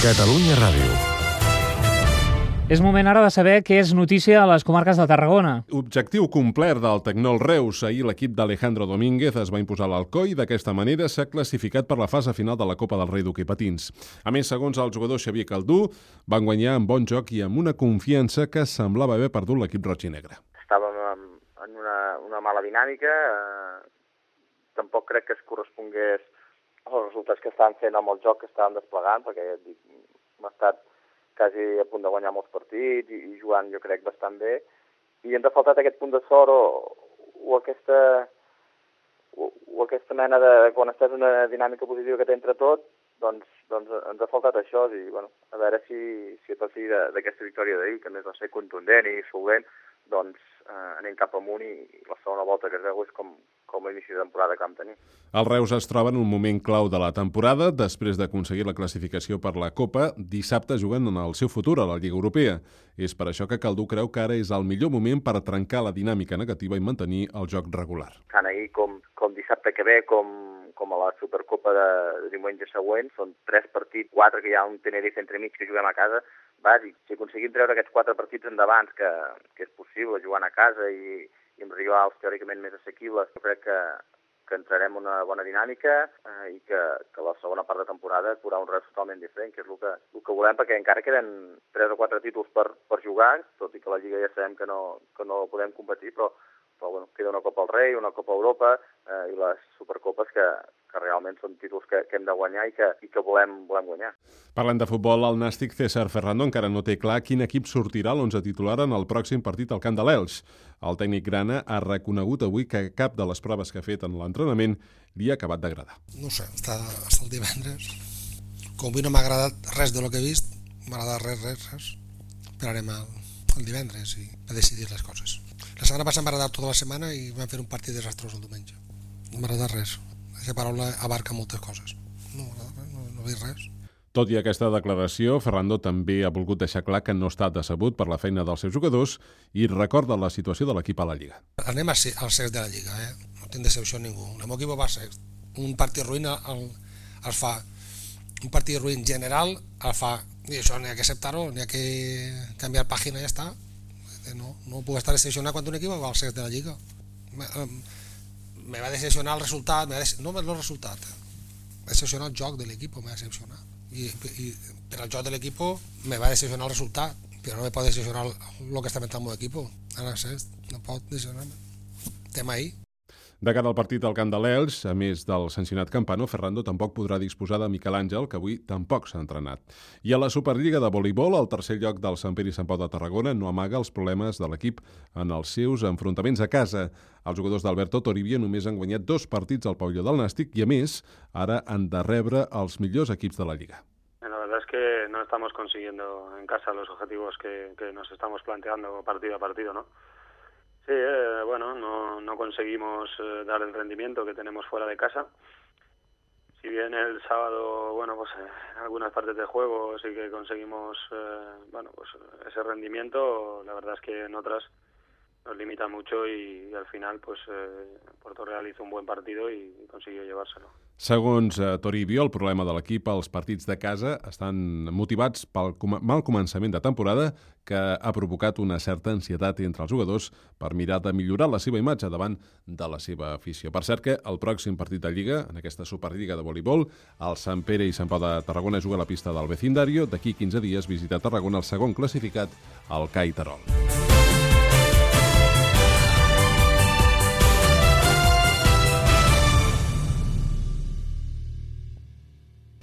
Catalunya Ràdio. És moment ara de saber què és notícia a les comarques de Tarragona. Objectiu complet del Tecnol Reus. Ahir l'equip d'Alejandro Domínguez es va imposar a l'Alcoi i d'aquesta manera s'ha classificat per la fase final de la Copa del Rei d'Hoquei Patins. A més, segons el jugador Xavier Caldú, van guanyar amb bon joc i amb una confiança que semblava haver perdut l'equip roig i negre. Estàvem en una mala dinàmica, tampoc crec que es correspongués als resultats que estaven fent amb el joc que estàvem desplegant, perquè hem estat quasi a punt de guanyar molts partits i jugant, jo crec, bastant bé. I ens ha faltat aquest punt de sort o aquesta mena de... Quan estàs en una dinàmica positiva que té entre tot, doncs ens ha faltat això. I, bueno, a veure si a partir d'aquesta victòria d'ahir, que a més va ser contundent i solvent, doncs anem cap amunt i la segona volta que es veu és com l'inici de temporada que vam tenir. El Reus es troba en un moment clau de la temporada. Després d'aconseguir la classificació per la Copa, dissabte juguen en el seu futur a la Lliga Europea. És per això que Caldú creu que ara és el millor moment per trencar la dinàmica negativa i mantenir el joc regular. Tant ahir com dissabte que ve, com a la Supercopa de diumenge següent, són 3 partits, 4 que hi ha un Tenerife entremig que juguem a casa, bàsic. Si aconseguim treure aquests 4 partits endavant, que és possible, jugant a casa i amb rivals teòricament més assequibles, jo crec que entrarem en una bona dinàmica i que la segona part de temporada haurà un Reus totalment diferent, que és el que volem, perquè encara queden 3 o 4 títols per jugar, tot i que la Lliga ja sabem que no podem competir, però bueno, queda una Copa al Rei, una Copa a Europa i les Supercopes que realment són títols que hem de guanyar i que volem guanyar. Parlant de futbol, el nàstic César Ferrando encara no té clar quin equip sortirà a l'11 titular en el pròxim partit al Camp de l'Elx. El tècnic grana ha reconegut avui que cap de les proves que ha fet en l'entrenament li ha acabat d'agradar. No sé, està el divendres. Com avui no m'ha agradat res de lo que he vist, m'ha agradat res. Esperarem el divendres i a decidir les coses. La setmana passada m'ha agradat tota la setmana i vam fer un partit desastrós el diumenge. No m'ha agradat res. Aquesta paraula abarca moltes coses. No he vist res. Tot i aquesta declaració, Ferrando també ha volgut deixar clar que no està decebut per la feina dels seus jugadors i recorda la situació de l'equip a la Lliga. Anem al sext de la Lliga, no tinc decepció ningú. El meu equip va sext. Un partit ruïn el fa. Un partit ruïn general el fa. I això n'hi ha que acceptar-ho, n'hi ha que canviar pàgina i ja està. No puc estar decepcionat quan un equip va al sext de la Lliga. Me va decepcionar el resultat, no el resultat, va decepcionar el joc de l'equip, m'ha decepcionat. I per al joc de l'equip me va decepcionar el resultat, però no me pot decepcionar el que està fent el meu equip. Ara no pot decepcionar-me. Tema ahí. De cara al partit al Camp de l'Elx, a més del sancionat Campano, Ferrando tampoc podrà disposar de Miquel Àngel, que avui tampoc s'ha entrenat. I a la Superliga de voleibol, el tercer lloc del Sant Pere i Sant Pau de Tarragona no amaga els problemes de l'equip en els seus enfrontaments a casa. Els jugadors d'Alberto Toribio només han guanyat 2 partits al pavelló del Nàstic i, a més, ara han de rebre els millors equips de la Lliga. La verdad es que no estamos consiguiendo en casa los objetivos que nos estamos planteando partido a partido, ¿no? Sí, bueno, no conseguimos dar el rendimiento que tenemos fuera de casa. Si bien el sábado, bueno, pues en algunas partes del juego sí que conseguimos, bueno, pues ese rendimiento, la verdad es que en otras nos limita mucho y al final, pues Puerto Real hizo un buen partido y consiguió llevárselo. Segons Toribio, el problema de l'equip als partits de casa estan motivats pel mal començament de temporada que ha provocat una certa ansietat entre els jugadors per mirar de millorar la seva imatge davant de la seva afició. Per cert que el pròxim partit de Lliga, en aquesta Superliga de voleibol, el Sant Pere i Sant Pau de Tarragona juga a la pista del Vecindario. D'aquí 15 dies visita Tarragona el segon classificat, el CAI Terol.